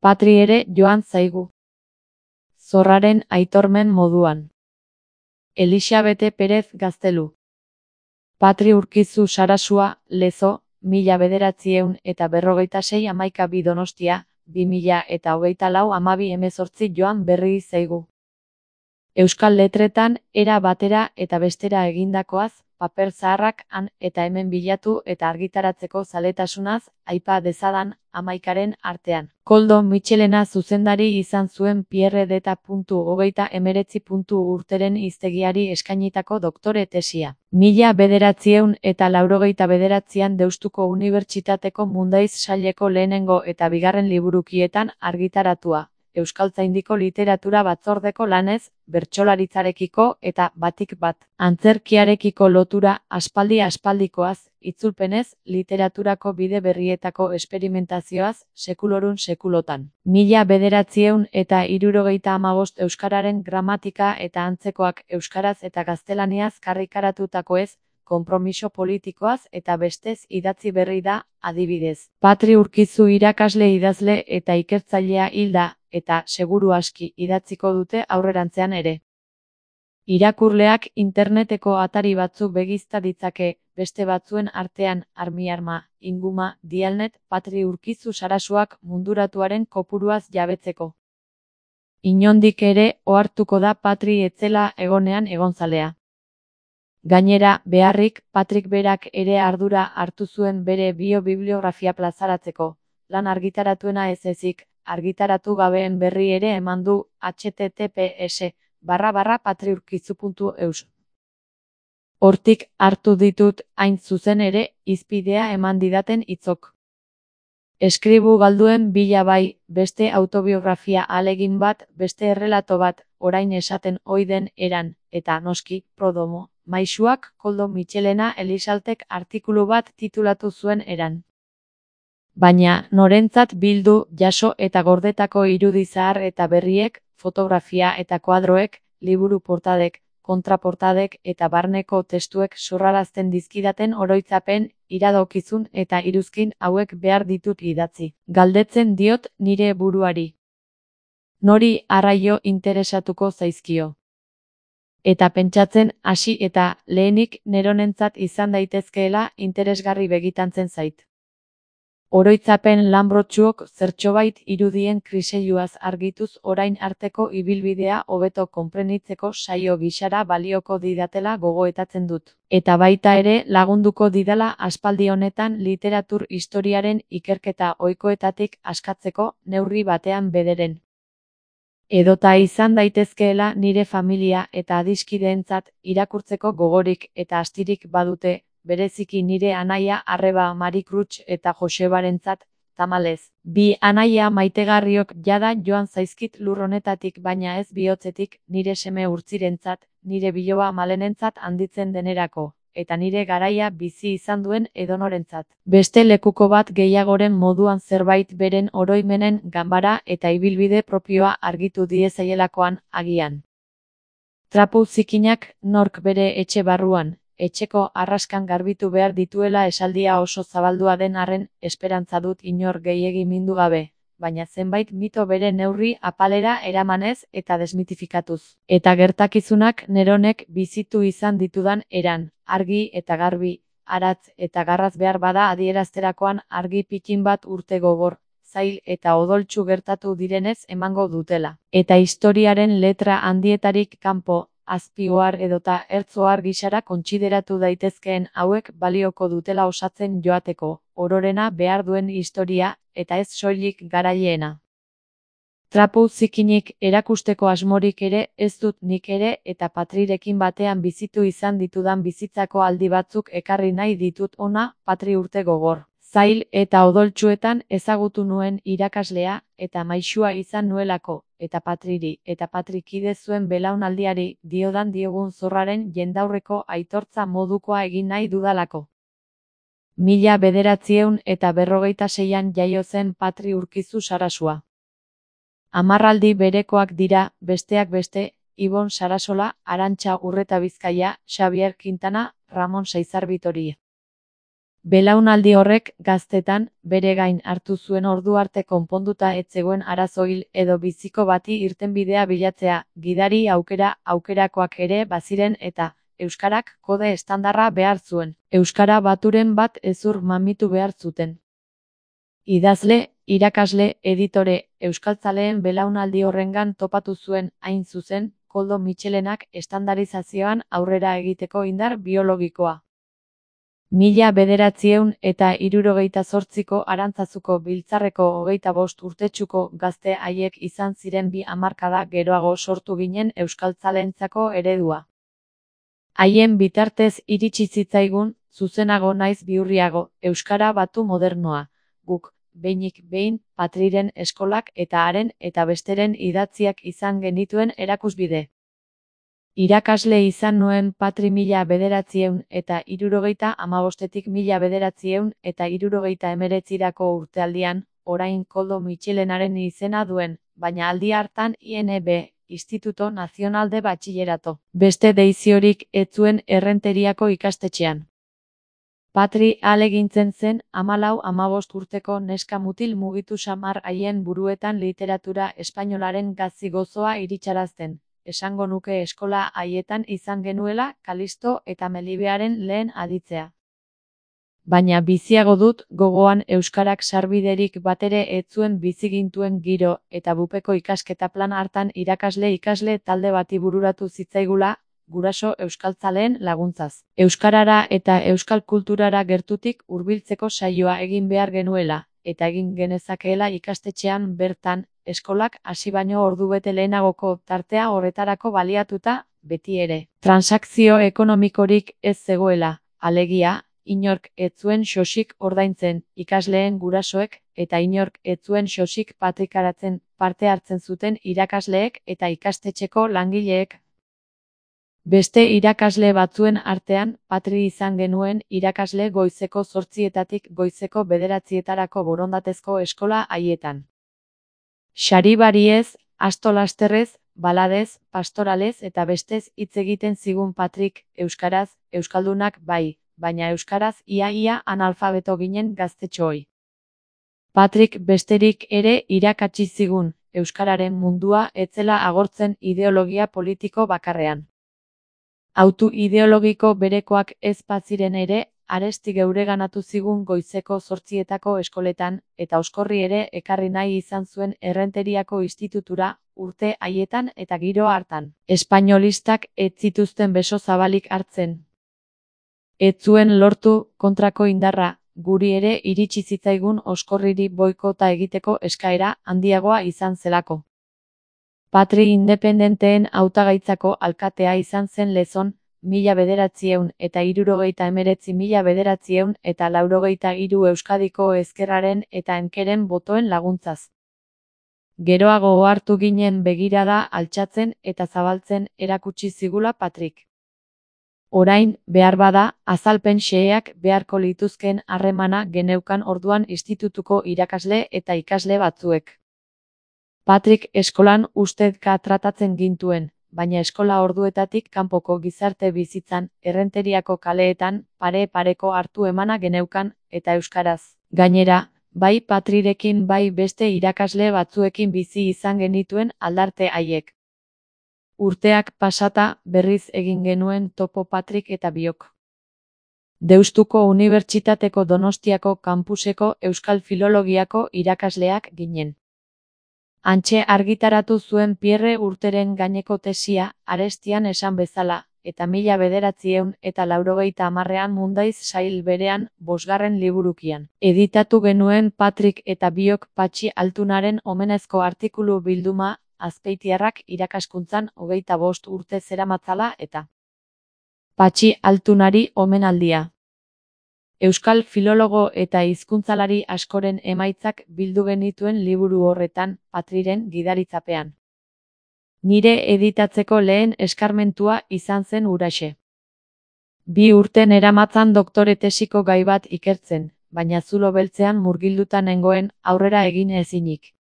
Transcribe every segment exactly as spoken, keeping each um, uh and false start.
Patri ere joan zaigu. Zorraren aitormen moduan. Elixabete Perez Gaztelu. Patri Urkizu Sarasua, Lezo, mila bederatziehun eta berrogeita sei hamaika bi Donostia, bi mila eta hogeita lau hamabi hemezortzi joan berri zaigu. Euskal letretan, era batera eta bestera egindakoaz, paper zaharrak han eta hemen bilatu eta argitaratzeko zaletasunaz, aipa dezadan, hamaikaren artean. Koldo Mitxelena zuzendari izan zuen Pierre deta puntu hogeita emeretzi puntu urteren hiztegiari eskainitako doktore tesia. Mila bederatziehun eta laurogeita bederatzian Deustuko Unibertsitateko Mundaiz saileko lehenengo eta bigarren liburukietan argitaratua. Euskaltzaindiko literatura batzordeko lanez, bertsolaritzarekiko eta batik bat. Antzerkiarekiko lotura aspaldi aspaldikoaz, itzulpenez, literaturako bide berrietako esperimentazioaz, sekulorun sekulotan. Mila bederatziehun eta hirurogeita hamabost euskararen gramatika eta antzekoak euskaraz eta gaztelaniaz karrikaratutakoez, konpromiso politikoaz eta bestez idatzi berri da, adibidez. Patri Urkizu irakasle idazle eta ikertzailea hilda, eta seguru aski idatziko dute aurrerantzean ere. Irakurleak interneteko atari batzuk begizta ditzake, beste batzuen artean Armiarma, Inguma, Dialnet, Patri Urkizu Sarasuak munduratuaren kopuruaz jabetzeko. Inondik ere ohartuko da Patri etzela egonean egonzalea. Gainera, beharrik, Patrik berak ere ardura hartu zuen bere biobibliografia plazaratzeko, lan argitaratuena ez ezik, argitaratu gabeen berri ere eman du h t t p s barra barra patriurkizu puntu eus. Hortik hartu ditut hain zuzen ere hizpidea eman didaten hitzok. Eskribu galduen bila bai, beste autobiografia ahalegin bat, beste errelato bat, orain esaten ohi den eran, eta noski, Prodomo, maisuak Koldo Mitxelena Elizaltek artikulu bat titulatu zuen eran. Baina, norentzat bildu, jaso eta gordetako irudi zahar eta berriek, fotografia eta kuadroek, liburu portadek, kontraportadek eta barneko testuek sorrarazten dizkidaten oroitzapen, iradokizun eta iruzkin hauek behar ditut idatzi. Galdetzen diot nire buruari. Nori arraio interesatuko zaizkio. Eta pentsatzen hasi eta lehenik neronentzat izan daitezkeela interesgarri begitantzen zait. Oroitzapen lanbrotsuok zertxobait irudien kriseiluaz argituz orain arteko ibilbidea hobeto konprenitzeko saio gixara balioko didatela gogoetatzen dut. Eta baita ere lagunduko didala aspaldi honetan literatur historiaren ikerketa ohikoetatik askatzeko neurri batean bederen. Edota izan daitezkeela nire familia eta adiskideentzat irakurtzeko gogorik eta astirik badute, bereziki nire anaia arreba Marikrutx eta Josebarentzat, tamalez. Bi anaia maitegarriok jada joan zaizkit lur honetatik baina ez bihotzetik, nire seme urtzirentzat, nire biloba malenentzat handitzen denerako, eta nire garaia bizi izan duen edonorentzat. Beste lekuko bat gehiagoren moduan zerbait beren oroimenen ganbara eta ibilbide propioa argitu diezaielakoan agian. Trapu zikinak nork bere etxe barruan, etxeko arraskan garbitu behar dituela esaldia oso zabaldua den arren esperantza dut inor gehiegi mindu gabe, baina zenbait mito bere neurri apalera eramanez eta desmitifikatuz. Eta gertakizunak neronek bizitu izan ditudan eran, argi eta garbi, aratz eta garraz behar bada adierazterakoan argi pikin bat urte gogor, zail eta odoltsu gertatu direnez emango dutela. Eta historiaren letra handietarik kanpo, azpioar edota ertzoar gisara kontsideratu daitezkeen hauek balioko dutela osatzen joateko, ororena behar duen historia, eta ez soilik garaileena. Trapu zikinik erakusteko asmorik ere ez dut nik ere eta Patrirekin batean bizitu izan ditudan bizitzako aldi batzuk ekarri nahi ditut ona, Patri urte gogor. Zail eta odoltsuetan ezagutu nuen irakaslea eta maisua izan nuelako, eta Patriri eta Patrikide zuen belaunaldiari diodan diogun zorraren jendaurreko aitortza modukoa egin nahi dudalako. Mila bederatziehun eta berrogeita seian jaio zen Patri Urkizu Sarasua. Hamarraldi berekoak dira, besteak beste, Ibon Sarasola, Arantxa Urreta Bizkaia, Xabier Quintana, Ramon Saizar Vitoria. Belaunaldi horrek gaztetan bere gain hartu zuen ordu arte konponduta ez zegoen arazo hil edo biziko bati irtenbidea bilatzea, gidari aukera aukerakoak ere baziren eta euskarak kode estandarra behar zuen. Euskara baturen bat hezur mamitu behar zuten. Idazle, irakasle, editore, euskaltzaleen belaunaldi horrengan topatu zuen, hain zuzen, Koldo Mitxelenak estandarizazioan aurrera egiteko indar biologikoa. Mila bederatziehun eta hirurogeita zortziko Arantzazuko biltzarreko hogeita bost urtetsuko gazte haiek izan ziren bi hamarkada geroago sortu ginen euskaltzaleentzako eredua. Haien bitartez iritsi zitzaigun, zuzenago naiz bihurriago, euskara batu modernoa, guk, behinik behin, Patriren eskolak eta haren eta besteren idatziak izan genituen erakusbide. Irakasle izan nuen Patri mila bederatzieun eta hirurogeita hamabostetik mila bederatzieun eta hirurogeita hemeretzirako urtealdian, orain Koldo Mitxelenaren izena duen, baina aldi hartan I N B, Instituto Nacional de Batxillerato. Beste deiziorik ez zuen Errenteriako ikastetxean. Patri ahalegintzen zen hamalau hamabost urteko neska mutil mugitu samar haien buruetan literatura espainolaren gazi gozoa iritsarazten. Esango nuke eskola haietan izan genuela Kalisto eta Melibearen lehen aditzea. Baina biziago dut gogoan euskarak sarbiderik batere ez zuen bizigintuen giro eta bupeko ikasketa plan hartan irakasle ikasle talde bati bururatu zitzaigula, guraso euskaltzaleen laguntzaz. Euskarara eta euskal kulturara gertutik hurbiltzeko saioa egin behar genuela, eta egin genezakeela ikastetxean bertan, eskolak hasi baino ordubete lehenagoko tartea horretarako baliatuta, beti ere. Transakzio ekonomikorik ez zegoela, alegia, inork ez zuen xosik ordaintzen, ikasleen gurasoek, eta inork ez zuen xosik patrikaratzen, parte hartzen zuten irakasleek eta ikastetxeko langileek. Beste irakasle batzuen artean, Patri izan genuen irakasle goizeko zortzietatik goizeko bederatzietarako borondatezko eskola haietan. Saribariez, astolasterrez, baladez, pastoralez eta bestez hitz egiten zigun Patrik, euskaraz, euskaldunak bai, baina euskaraz ia-ia analfabeto ginen gaztetxooi. Patrik besterik ere irakatsi zigun, euskararen mundua ez zela agortzen ideologia politiko bakarrean. Autu ideologiko berekoak ez baziren ere, aresti geureganatu zigun goizeko zortzietako eskoletan, eta oskorri ere ekarri nahi izan zuen Errenteriako institutura, urte haietan eta giro hartan. Espainolistak ez zituzten beso zabalik hartzen. Ez zuen lortu kontrako indarra, guri ere iritsi zitzaigun oskorriri boikota egiteko eskaera handiagoa izan zelako. Patri independenteen hautagaitzako alkatea izan zen Lezon, mila bederatzieun eta hirurogeita hemeretzi mila bederatzieun eta laurogeita hiru Euskadiko ezkerraren eta enkeren botoen laguntzaz. Geroago ohartu ginen begirada altxatzen eta zabaltzen erakutsi zigula Patrik. Orain, behar bada, azalpen xeheak beharko lituzken harremana geneukan orduan institutuko irakasle eta ikasle batzuek. Patrik eskolan ustezka tratatzen gintuen, baina eskola orduetatik kanpoko gizarte bizitzan, Errenteriako kaleetan, pare-pareko hartu emana geneukan, eta euskaraz. Gainera, bai Patrirekin bai beste irakasle batzuekin bizi izan genituen aldarte haiek. Urteak pasata berriz egin genuen topo Patrik eta biok. Deustuko Unibertsitateko Donostiako kampuseko Euskal Filologiako irakasleak ginen. Hantxe argitaratu zuen Pierre Urteren gaineko tesia, arestian esan bezala, eta mila bederatzieun eta laurogeita hamarrean Mundaiz sail berean, bosgarren liburukian. Editatu genuen Patrik eta biok Patxi Altunaren omenezko artikulu bilduma, Azpeitiarrak irakaskuntzan hogeita bost urte zeramatzala eta Patxi Altunari omenaldia. Euskal filologo eta hizkuntzalari askoren emaitzak bildu genituen liburu horretan, Patriren gidaritzapean. Nire editatzeko lehen eskarmentua izan zen huraxe. Bi urten eramatzan doktore tesiko gai bat ikertzen, baina zulo beltzean murgilduta nengoen aurrera egin ezinik.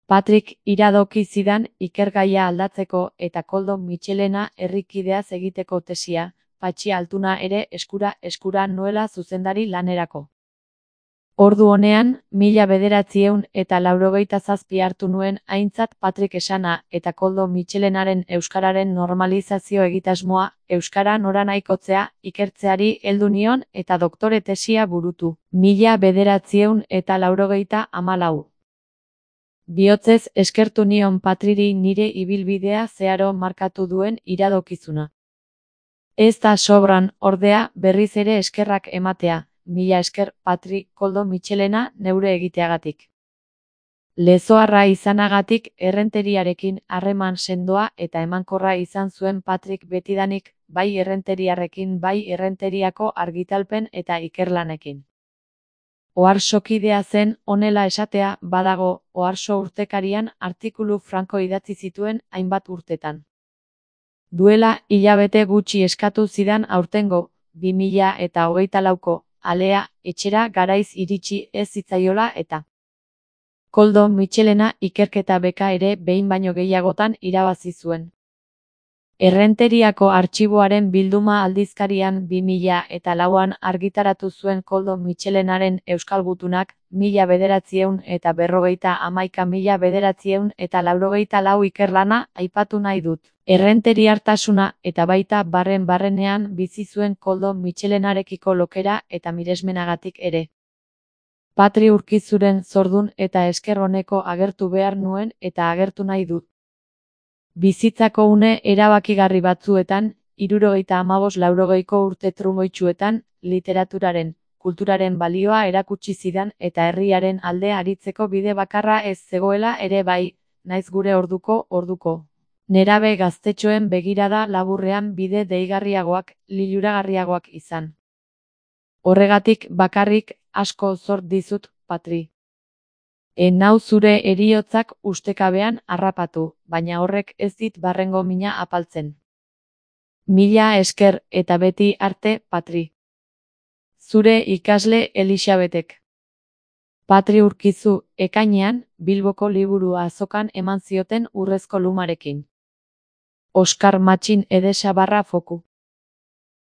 Patrik iradoki zidan ikergaia aldatzeko eta Koldo Mitxelena herrikideaz egiteko tesia, Patxi Altuna ere eskura eskura nuela zuzendari lanerako. Ordu honean, mila bederatziehun eta laurogeita zazpi hartu nuen aintzat Patrik esana eta Koldo Mitxelenaren euskararen normalizazio egitasmoa, euskara noranahikotzea, ikertzeari heldu nion eta doktore tesia burutu. Mila bederatziehun eta laurogeita hamalau. Bihotzez eskertu nion Patriri nire ibilbidea zeharo markatu duen iradokizuna. Ez da sobran, ordea, berriz ere eskerrak ematea. Mila esker, Patri, Koldo Mitxelena, neure egiteagatik. Lezoarra izanagatik errenteriarekin harreman sendoa eta emankorra izan zuen Patrik betidanik, bai errenteriarrekin bai errenteriako argitalpen eta ikerlanekin. Oharsokidea zen, honela esatea, badago, Oharso urtekarian artikulu franko idatzi zituen hainbat urtetan. Duela, hilabete gutxi eskatu zidan aurtengo, bi mila eta hogeita lauko, alea, etxera garaiz iritsi ez zitzaiola eta. Koldo Mitxelena ikerketa beka ere behin baino gehiagotan irabazi zuen. Errenteriako artxiboaren bilduma aldizkarian bi mila eta lauan argitaratu zuen Koldo Mitxelenaren Euskal Gutunak, mila bederatziehun eta berrogeita hamaika mila bederatziehun eta laurogeita lau ikerlana aipatu nahi dut. Errenteriartasuna eta baita barren barrenean bizi zuen Koldo Mitxelenarekiko lokera eta miresmenagatik ere. Patri Urkizuren zordun eta esker oneko agertu behar nuen eta agertu nahi dut. Bizitzako une erabakigarri batzuetan, hirurogeita hamabost laurogeiko urte trumoitsuetan, literaturaren, kulturaren balioa erakutsi zidan eta herriaren alde aritzeko bide bakarra ez zegoela ere bai, naiz gure orduko orduko. Nerabe gaztetxoen begirada laburrean bide deigarriagoak, liluragarriagoak izan. Horregatik bakarrik asko zor dizut, Patri. En nau zure heriotzak ustekabean harrapatu, baina horrek ez dit barrengo mina apaltzen. Mila esker eta beti arte, Patri. Zure ikasle Elisabetek. Patri Urkizu, ekainean, Bilboko liburu azokan eman zioten urrezko lumarekin. Oskar Matxin Edesa barra foku.